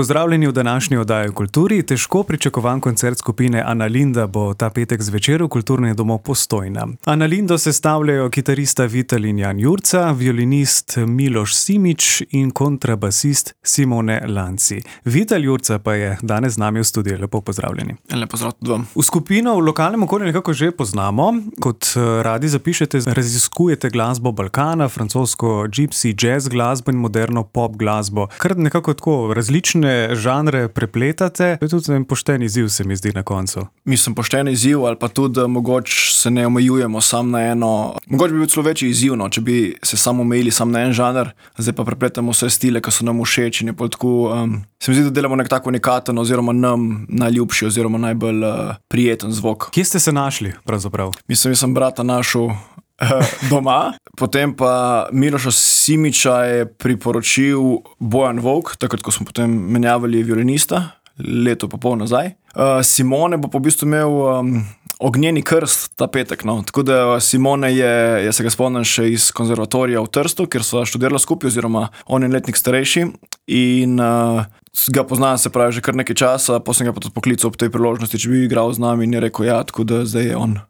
Pozdravljeni v današnji oddaji o kulturi. Težko pričakovan koncert skupine Annalinda bo ta petek zvečer v Kulturnem domu Postojna. Annalindo sestavljajo kitarista Vital in Jan Jurca, violinist Miloš Simič in kontrabasist Simone Lanci. Vital Jurca pa je danes z nami v studiu. Lepo pozdravljeni. Lepo pozdrav tudi vam. V skupino v lokalnem okolju nekako že poznamo. Kot radi zapišete, raziskujete glasbo Balkana, francosko gypsy jazz glasbo in moderno pop glasbo. Kar nekako tako različne žanre prepletate. To je tudi en pošten izziv, se mi zdi na koncu. Mislim, pošten izziv ali pa tudi mogoče se ne omejujemo sam na eno. Mogoče bi bil celo večji izziv, če bi se samo omejili sam na en žanr, zdaj pa prepletamo vse stile, ki so nam všeč in je tako, se mi zdi, da delamo nek tako unikaten oziroma nam najljubši oziroma najbolj prijeten zvok. Kje ste se našli pravzaprav? Mislim, sem brata našel doma, potem pa Miloša Simiča je priporočil Bojan Volk, takrat, ko smo potem menjavali violinista, leto pa pol nazaj. Simone bo pa v bistvu imel ognjeni krst ta petek, no. Tako da Simone jaz se ga spomnim še iz konzervatorija v Trstu, kjer sva študirala skupaj, oziroma on je letnik starejši in ga poznam, se pravi, že kar nekaj časa, potem sem ga pa tudi poklical ob tej priložnosti, če bi igral z nami in je rekel, ja, tako da zdaj je on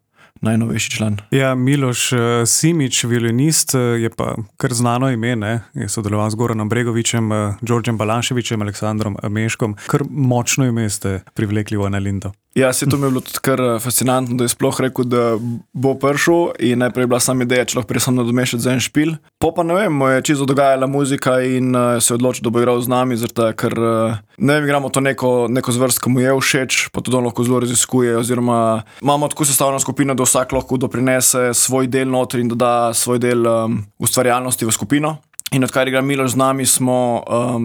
najnovejši član. Ja, Miloš Simič, violinist, je pa kar znano ime, ne? Je sodeloval z Goranom Bregovićem, Đorđem Balaševićem, Aleksandrom Meškom. Kar močno ime ste privlekli v Annalindo. Ja, to mi je bilo tudi kar fascinantno, da je sploh rekel, da bo prišel in najprej je bila sama ideja, če lahko prej sam nadomešati za en špil. Pa ne vem, mu je čisto dogajala muzika in se je odločil, da bo igral z nami, zato ker ne vem, igramo to neko zvrst, ki mu je všeč, pa tudi on lahko zelo raziskuje, oziroma imamo tako sestavljeno skupino, da vsak lahko doprinese svoj del noter in doda svoj del ustvarjalnosti v skupino. In odkar igra Miloš z nami, smo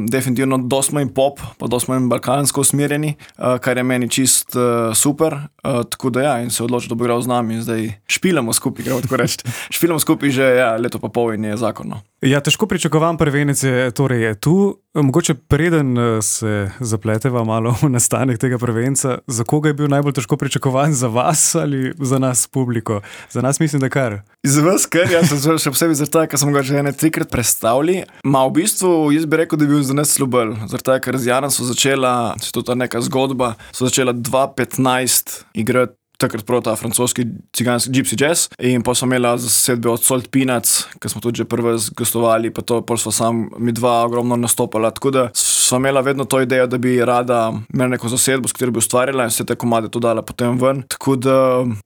definitivno dosti manj pop, pa dosti manj balkansko usmerjeni, kar je meni čist super. Tako da ja, in se odločil, da bo igral z nami in zdaj špilamo skupaj, gremo tako reči. Špilamo skupaj že leto pa pol in je zakonno. Ja, težko pričakovan prvenec je tu. Mogoče preden se zapleteva malo v nastanek tega prvenca, za koga je bil najbolj težko pričakovan, za vas ali za nas publiko? Za nas mislim, da kar. Za vas kar, ja, še posebej zaradi tega, ker smo ga že 3-krat predstavili. V bistvu, jaz bi rekel, da je bil za nas slubel. Zaradi tega, ker z Janom so začela, to je ta neka zgodba, so začela 2015 igrati takrat prav ta francoski ciganski gypsy jazz in pa smo imela zasedbe od Salt Peanuts, ki smo tudi že prve gostovali, pa to pol sva sam mi dva ogromno nastopala, tako da sva imela vedno to idejo, da bi rada imela neko zasedbo, s katero bi ustvarjala in vse te komade to dala potem ven, tako da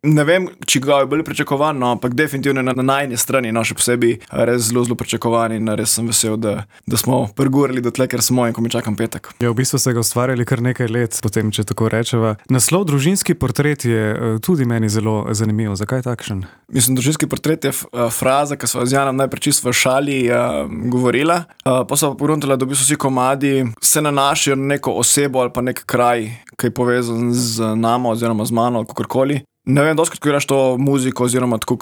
ne vem, či ga je bolj pričakovan, no, ampak definitivno na najni strani, no, še posebej res zelo pričakovan in res sem vesel, da smo prgurali do tle, ker smo in ko mi čakam petek. Ja, v bistvu ste ga ustvarjali kar nekaj let, potem, če tako rečeva. Naslov Družinski portret je tudi meni zelo zanimivo. Zakaj takšen? Mislim, Družinski portret je fraza, ki sva z Janom najprej čisto v šali govorila, pa sva pogruntala, da v bistvu vsi komadi se nanašajo na neko osebo ali pa nek kraj, ki je povezan z nama oziroma z mano ali kakorkoli. Ne vem, doskrat, ko igraš to muziko oziroma tako,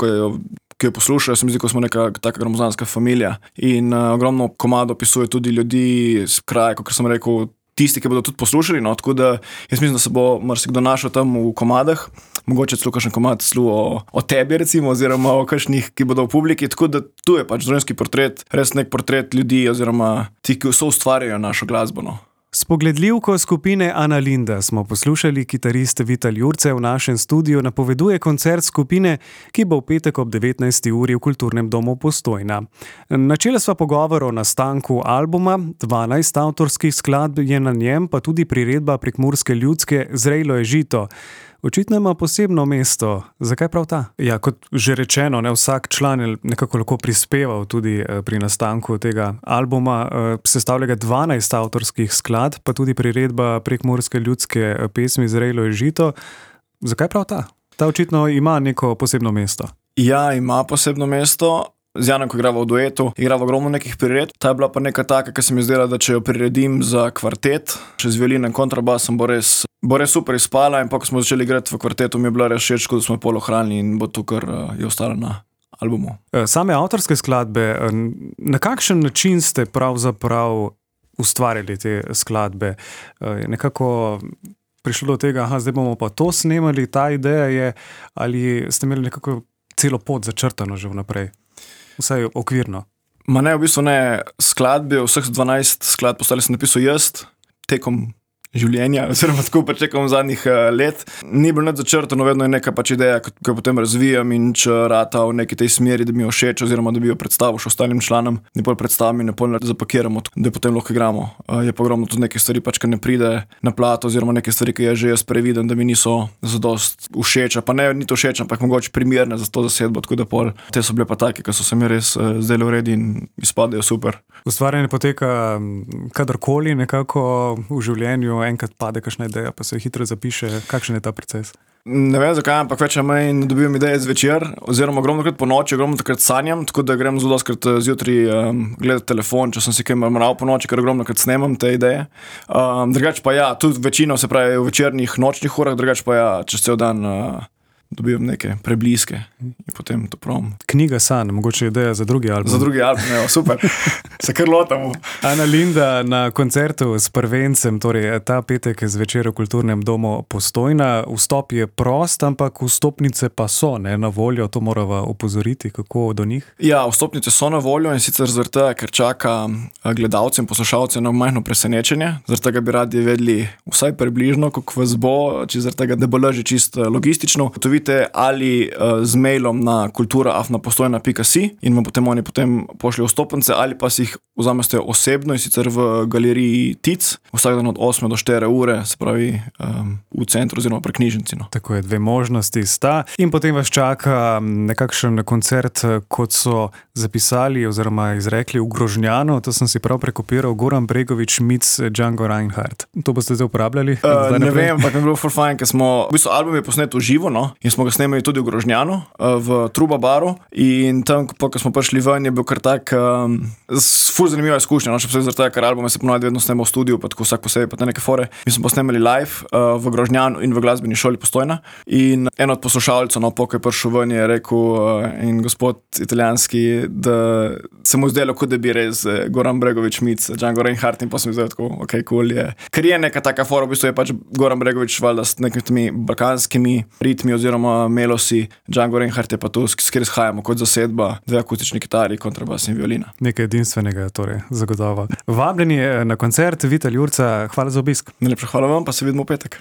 ki jo poslušajo, se mi zdi, ko smo neka taka gromozanska familija in ogromno komado opisuje tudi ljudi z kraja, kot sem rekel, tisti, ki bodo tudi poslušali, no, tako da jaz mislim, da se bo marsikdo našel tam v komadah, mogoče celo kakšen komad o tebi recimo, oziroma o kakšnih, ki bodo v publiki, tako da tu je pač družinski portret, res nek portret ljudi oziroma ti, ki so ustvarjajo našo glasbo, no. Spogledljivko skupine Annalinda smo poslušali. Kitarist Vital Jurca v našem studiu napoveduje koncert skupine, ki bo v petek ob 19. uri v Kulturnem domu Postojna. Načela sva pogovor o nastanku albuma, 12 avtorskih skladb je na njem, pa tudi priredba prekmurske ljudske Zrejlo je žito. Očitno ima posebno mesto. Zakaj prav ta? Ja, kot že rečeno, ne, vsak član je nekako lahko prispeval tudi pri nastanku tega albuma. Sestavlja ga 12 avtorskih skladb, pa tudi priredba prekmurske ljudske pesmi Zrejlo je žito. Zakaj prav ta? Ta očitno ima neko posebno mesto. Ja, ima posebno mesto. Z Janom, ko igrava v duetu, igrava ogromno nekih prired. Ta je bila pa neka taka, ki se mi zdela, da če jo priredim za kvartet, še z violino in kontrabasom, bo res super izpala in pa, ko smo začeli igrati v kvartetu, mi je bila res všeč, da smo jo pol ohranili in bo to, kar je ostalo na albumu. Same avtorske skladbe, na kakšen način ste pravzaprav ustvarjali te skladbe? Nekako prišlo do tega, zdaj bomo pa to snemali, ta ideja je, ali ste imeli nekako celo pot začrtano že vnaprej? Vsaj okvirno. Ma ne, v bistvu ne skladbe, vseh 12 skladb ostali sem napisal jaz tekom življenja, oziroma tako pač tekom zadnjih let. Ni bilo nič začrtano, vedno je neka pač ideja, ki jo potem razvijam in če rata v neki tej smeri, da mi jo všeč, oziroma da bi jo predstavil še ostalim članom, ne pol predstavim in ne pol zapakiramo, da jo potem lahko igramo. Je pa ogromno tudi nekaj stvari, pač, ki ne pride na plato, oziroma nekaj stvari, ki je že jaz previdem, da mi niso zadost všeč, pa ne ni to všeč, ampak mogoče primerne za to zasedbo, tako da pol. Te so bile pa take, ki so se mi res zdaj v redu in izpadajo super. Ustvarjanje poteka kadarkoli nekako v življenju, enkrat pade kakšna ideja, pa se hitro zapiše. Kakšen je ta proces? Ne vem zakaj, ampak več ali manj dobivam ideje zvečer, oziroma ogromnokrat po noči, ogromnokrat sanjam, tako da grem zelo doskrat zjutraj gledati telefon, če sem si kaj mral po noči, ker ogromnokrat snemam te ideje. Drugače pa ja, tudi večino se pravi v večernih, nočnih urah, drugače pa ja, čez cel dan dobivam neke prebliske in potem to probam. Knjiga sanj, mogoče ideja za drugi album. Za drugi album, ne, super. Se kar lotamo. Analinda na koncertu s prvencem, torej ta petek zvečer v Kulturnem domu Postojna. Vstop je prost, ampak vstopnice pa so, ne, na voljo, to morava opozoriti, kako do njih? Ja, vstopnice so na voljo in sicer zaradi tega, ker čaka gledalce in poslušalce na majhno presenečenje. Zaradi tega bi radi vedeli vsaj približno, kako vas bo, če zaradi tega, da bo lažje čisto logistično. Ali z mailom na kultura@postojna.si in vam potem pošljajo vstopnice, ali pa si jih vzamete osebno in sicer v galeriji TIC, vsak dan od 8 do 4 ure, se pravi v centru oziroma pri knjižnici. No. Tako je, dve možnosti sta. In potem vas čaka nekakšen koncert, kot so zapisali oziroma izrekli v Grožnjanu, to sem si prav prekopiral, Goran Bregović meets Django Reinhardt. To boste zdaj uporabljali? Ne vem, ampak mi je bilo ful fajn, ker smo, v bistvu album je posnet v živo, no, in smo ga snemali tudi v Grožnjanu, v Truba baru, in tam, ko smo prišli ven, je bil kar tak ful zanimiva izkušnja, no, še posebej zaradi tega, ker albume se ponovadi vedno snemal v studiu, pa tako vsak posebej, pa te neke fore. Mi smo posnemali live v Grožnjanu in v glasbeni šoli Postojna in en od poslušalcev, no, ko je prišel ven, je rekel in gospod italijanski, da se mu zdelo, kot da bi res Goran Bregović meets Django Reinhardt, in pa sem zdaj tako, ok, cool je. Ker je neka taka fora, v bistvu je pač Goran Bregović valjda s nekimi balkanskimi ritmi oziroma melosi, Django Reinhardt je pa tu, s kjer izhajamo kot zasedba, dve akustični kitari, kontrabas in violina. Nekaj edinstvenega, torej, zagotovo. Vabljeni na koncert Vital Jurca, hvala za obisk. Najlepša hvala vam, pa se vidimo v petek.